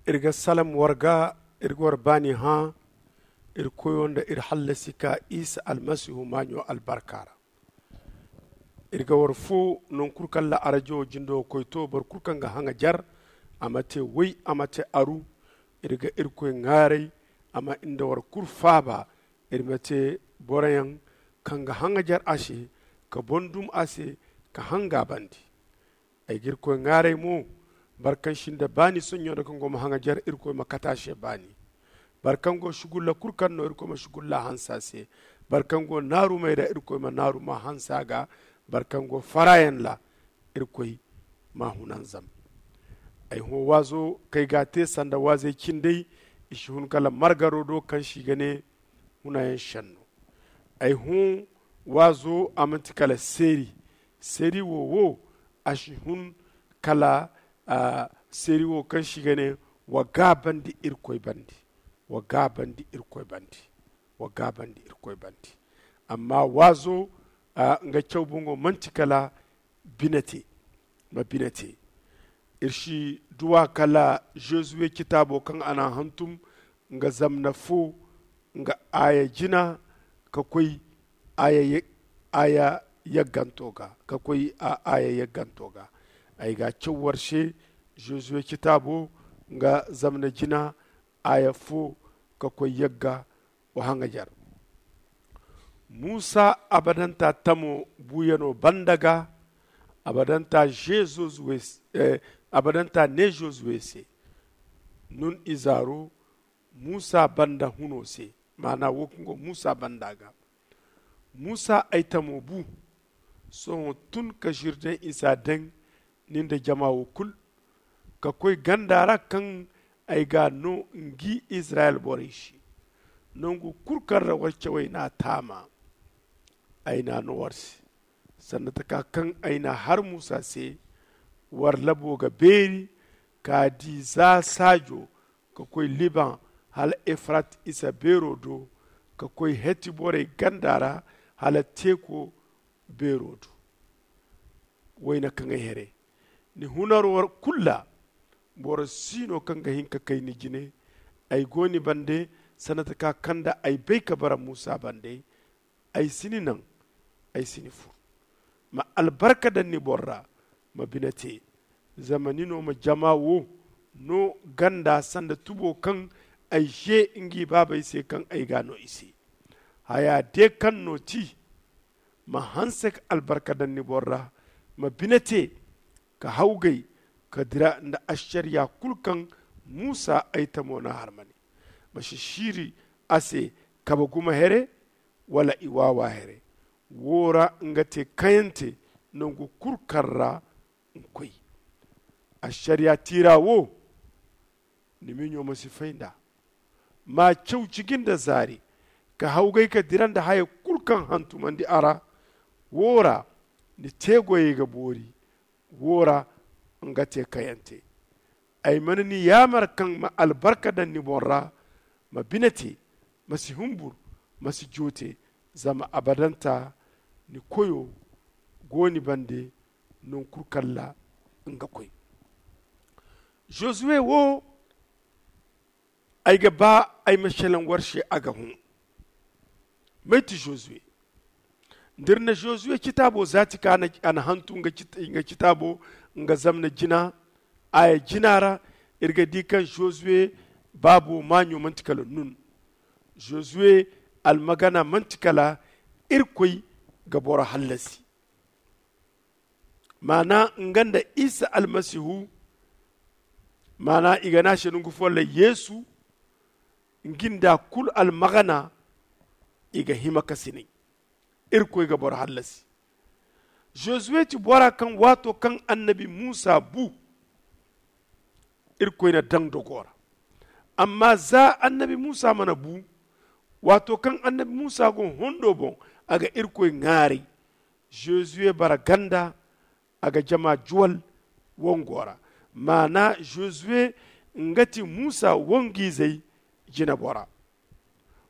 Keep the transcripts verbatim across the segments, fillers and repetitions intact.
Iri ga salam war ga, iri ga war baani hã iri koyo nda iri hallasi ka isa almasihu maaɲo albarka ra. Iri ga war fo non kulu kaŋ ra arajo jindo koy to boro kulu kaŋ ga haŋajer, a ma te way, a ma te aru. Iri ga irkoy ŋaaray a ma nda war kulu faaba. Iri ma te boroyaŋ kaŋ ga haŋajer a se, ka bondum a se, ka hanga bandi. Ay ga irkoy ŋaaray mo, boro kaŋ si nda baani soɲɲo nda kaŋ go ma haŋajer irkoy ma kate a se baani. Boro kaŋ go sugulla kulu kaŋ no irkoy ma sugulla hanse a se. Boro kaŋ go naarumey ra irkoy ma naaruma hanse a ga. Boro kaŋ go faraayaŋ ra irkoy ma a hunanzam. Ay hõ waazo kaŋ ay ga a te sanda waazey cindey, i si hun kala margaro do kaŋ se i ga ne hunayaŋ senno. Ay hõ waazo a manti kala seeri. Seeri wo wo a si hun kala seeri wo kaŋ se i ga ne wa gaabandi irkoy bande. Wa gaabandi irkoy bande. Wa gaabandi irkoy bande. Amma waazo nga caw boŋo manti kala bine te. Ma bine te. Iri si duw'a kala josuwe citaabo kaŋ a n'a hantum nga zamna fo nga aaya jina ka koy aaya yagganto ga ka koy aaya yagganto ga. Ay ga a caw war se josuwe citaabo nga zamna jina aaya fo ka koy yagga. Wa haŋajer muusa abadanta tamo buuyano banda ga. Abadanta ne josuwe se nun izaaro muusa banda huno se. Maana wo kaŋ go muusa banda ga muusa ay tamo bu. Sohõ tun ka zirdaŋ isa daŋ ni nda jama wo kulu ka koy ganda ra kaŋ ay ga a no ngi izirayel borey se. Nangu kulu kaŋ ra war cawey n'a taama ay n'a no war se. Sanda taka kaŋ ay n'a har muusa se war labo ga beeri ka di za saajo ka koy liban hala efrat isa beero do ka koy heti borey ganda ra hala teeko beero do. Wayna kaŋ ay here ni hunaro kulu ra boro si no kaŋ ga hin ka kay ni jine. Ay go ni bande sanda taka kaŋ nda ay bay ka bara muusa bande. Ay si ni naŋ ay si ni fur. Ma albarka daŋ ni boro ra ma bine te. Zama ni no ma jama wo no ganda sanda tubo kaŋ ay ze ngi baabey se kaŋ ay ga no i se. Haya de kaŋ no ti ma hanse ka albarka daŋ ni boro ra ma bine te ka hawgay ka dira nda ašariya kulu kaŋ muusa ay tamo n'a harmani. Ma si siiri a se kabe gumo here wala i waawa here. Wo ra nga te kayante nangu kulu kaŋ ra nkoy ašariya tiira wo. Ni miɲo ma si fay nd'a ma caw ciji nda zaari ka hawgay ka dira nda haya kulu kaŋ hantumandi a ra. Wo ra ni teegoyey ga boori. Wo ra nga te kayante. Ay mana ni yaamar kaŋ ma albarka daŋ ni boŋ ra ma bine te ma si humbur ma si joote. Zama abadanta ni koyo go ni bande. Nangu kulu kaŋ ra nga koy josuwe wo. Ay ga ba ay ma selaŋ war se a ga hõ. May ti josuwe? Da iri na josuwe citaabo zaati ka a na hantu nga citaabo nga zamna jina aaya jina ra. Iri ga di kaŋ josuwe baabo maaɲo manti kala nun. Josuwe almagana manti kala irkoy ga boro hallasi. Maana nga nda isa almasihu maana i ga ne a se nangu fooyaŋ ra yeesu. Ngi nda kulu almagana i ga hima ka sinay. Irkoy ga boro hallasi. Josuwe ti bora kaŋ waato kaŋ annabi muusa bu irkoy na daŋ dogo ra. Amma za annabi muusa mana bu waato kaŋ annabi muusa go hondo boŋ a ga irkoy ŋaaray. Josuwe bara ganda a ga jama juwal wango ra. Maana josuwe nga ti muusa wangu-izey jinebora.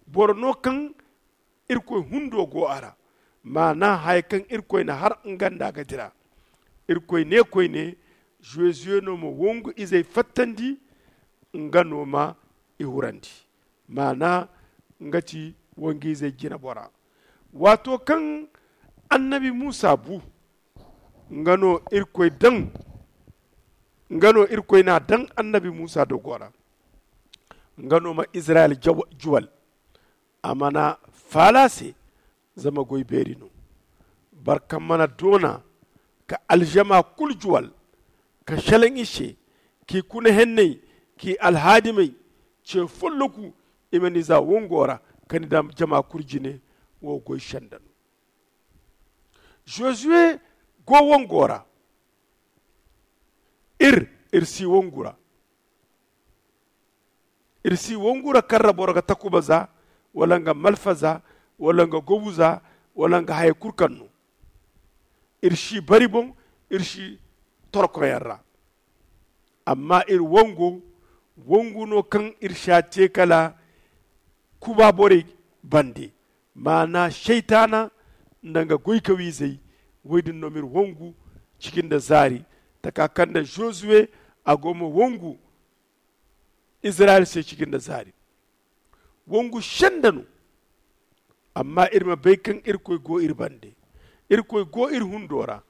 Boro no kaŋ irkoy hundo go a ra. Maana haya kaŋ irkoy na har nga nda a ga dira. Irkoy ne koyne josuwe no ma wangu-izey fattandi. nga no ma i hurandi. Maana nga ti wangu izey jina bora. Waato kaŋ annabi muusa bu, nga no irkoy daŋ nga no irkoy n'a daŋ annabi muusa dogo ra. Nga no ma izirayel juwal. A mana faala se, zama goy beeri no. Boro kaŋ mana doona ka alžama kulu juwal, ka šelaŋ i se, k'i kuna henney, k'i alhaadimey ce folloku, i ma ni za wango ra, ka ni daŋ jama kulu jine. Wo goy senda no. Zozuwe go wango ra. Ir ir si wangu ra. Ir si wangu ra kaŋ ra boro ga takuba za, wala nga malfa za, wala nga gobu za, wala nga haya kulu kaŋ no. Ir si bari boŋ, ir si torkoyaŋ ra. Amma ir wangu wangu no kaŋ ir si a te kala kuba borey bande. Maana seytaana nda nga goykawiizey. Woy din no m'iri wangu ciki nda zaari, taka kaŋ nda zozuwe a go ma wangu izirayel se ciki nda zaari. Wangu senda no. Amma iri ma bay kaŋ irkoy go iri bande. Irkoy go iri hundo ra.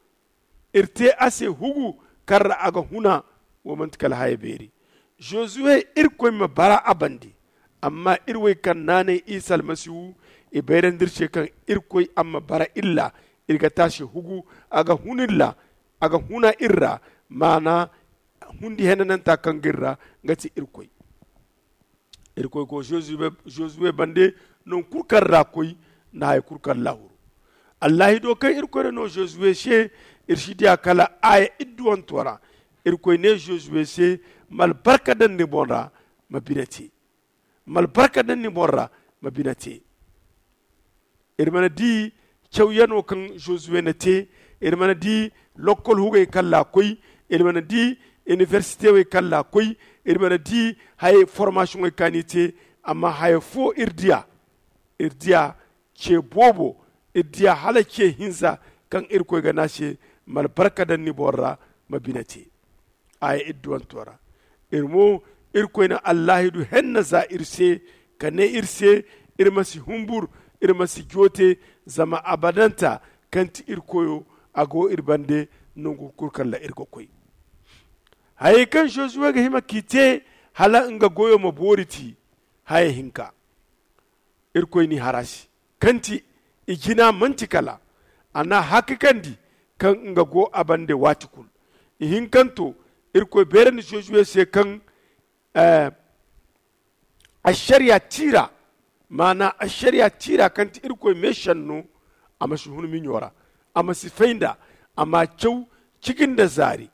Iri te a se hugu kaŋ ra a ga huna. Wo manti kala haya beeri. Zozuwe, irkoy ma bara a bande. Amma iri wey kaŋ naanay isa almasihu, i bayrandi iri se kaŋ irkoy a ma bara iri ra. Iri ga te a se hugu, a ga huna iri ra. A ga huna iri ra. Maana hundi henananta kaŋ ga iri ra, nga ti irkoy. Irkoy go zozuwe bande. Nangu kulu kaŋ ra koy nda haya kulu kaŋ lahuru. Allahido kaŋ irkoy na no zozuwe se, iri si diya kala aya idduwanto ra. Irkoy ne zozuwe se, ma albarka daŋ ni boŋ ra, ma bine te. Ma albarka daŋ ni boŋ ra, ma bine te. Iri mana di cawyano kaŋ zozuwe na te. Iri mana di lokkol hugey kaŋ ra a koy. Iri mana di iniversite wey kaŋ ra a koy. Iri mana di hayey formasiyoŋey kaŋ a n'i te. Amma haya fo iri diya. Iri diya ce boobo. Iri diya hala ce hinza kaŋ irkoy ga ne a se, ma albarka daŋ ni boŋ ra, ma bine te. Aya idduwanto ra. Iri mo, irkoy na allahidu henna za iri se, ka ne iri se, iri ma si humbur, iri ma si joote. Zama abadanta kaŋ ti iri koyo, a go iri bande. Nangu kulu kaŋ ra iri ga koy, hayey kaŋ zozuwe ga hima k'i te hala nga goyo ma boori ti. Haya hinka, irkoy n'i har a se kaŋ ti i jina manti kala a n'a hakikandi kaŋ nga go a bande waati kulu. Ihinkanto, irkoy beerandi zozuwe se kaŋ ašariya tiira, maana ašariya tiira kaŋ ti irkoy meesenno, a ma si hun miɲo ra, a ma si fay nd'a, a m'a caw ciji nda zaari.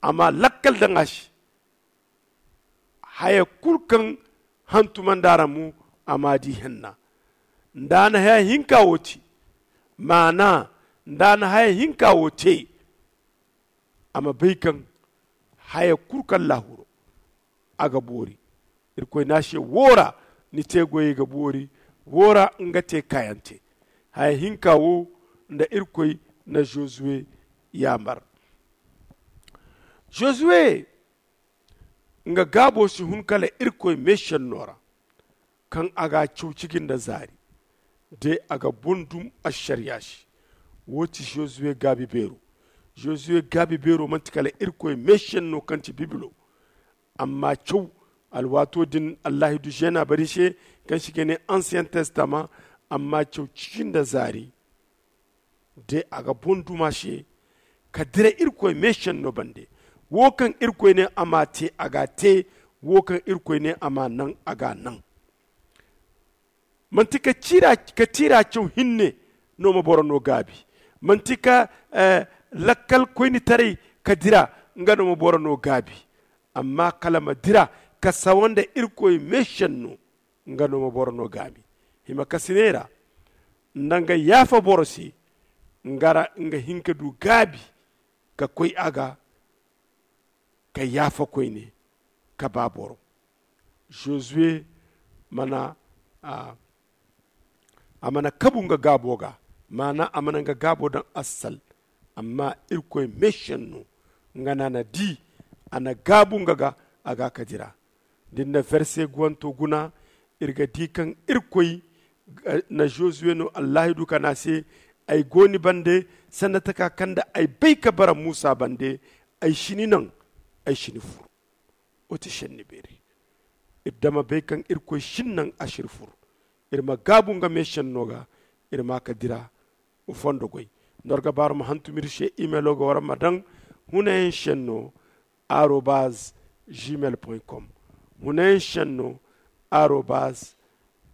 A m'a lakkal daŋ a se. Haya kulu kaŋ hantumandi a ra mo, a m'a di henna. Nda a na haya hinka wo te, maana nda a na haya hinka wo te, a ma bay kaŋ haya kulu kaŋ lahuro a ga boori. Irkoy ne a se, wo ra ni te goyey ga boori, wo ra nga te kaayante. Haya hinka wo nda irkoy na zozuwe yaamar. Zozuwe, nga gaabo si hun kala irkoy meesenno ra, kaŋ a g'a caw ciji nda zaari, de a ga boŋ dum ašariya se. Wo ti zozuwe gaabi beero. Zozuwe gaabi beero manti kala irkoy meesenno kaŋ ti bibilo. Amma caw, alwaato din allahidu zeena bari se, kaŋ se i ga ne ansiyen testama. Amma caw ciji nda zaari, de a ga boŋ duma se, ka dira irkoy meesenno bande. Wo kaŋ irkoy ne a m'a te, a g'a te. Wo kaŋ irkoy ne a m'a naŋ, a g'a naŋ. Manti ka tiira caw hinne no ma boro no gaabi. Manti ka lakkal koynitaray ka dira, nga no ma boro no gaabi. Amma kala ma dira ka sawa nda irkoy meesenno, nga no ma boro no gaabi. Hima kasiney ra, nda nga yaafa boro se, nga ra nga hin ka du gaabi ka koy a ga, ka yaafa koyne, ka ba boro. Zozuwe mana a mana kabu nga gaabo ga, maana a mana nga gaabo daŋ assal. Amma irkoy meesenno, nga no a na di A na gaabu nga ga, a ga a ka dira. Da iri na verse guwanto guna, iri ga di kaŋ irkoy na josuwe no allaahidu ka ne a se, ay go ni bande, sanda taka kaŋ nda ay bay ka bara muusa bande, ay si ni naŋ, ay si ni fur. Wo ti senni beeri. Iri dama bay kaŋ irkoy si ni naŋ, a si iri fur. Iri ma gaabu nga me senno ga, iri ma a ka dira. Fondo goy. Nda war ga baaru ma hantum iri se, imelo ga war ma daŋ, hunayaŋ senno arobaz gmail point com. Hunayaŋ senno arobaz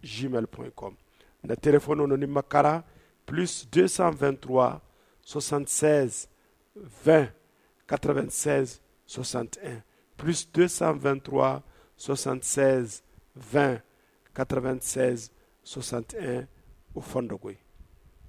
gmail point com. Nda telefono no ni ma kara, plus deux cent vingt trois, soixante seize, vingt, quatre vingt seize, soixante un. Plus deux cent vingt trois, soixante seize, vingt, quatre vingt seize, soixante un. Fondo goy.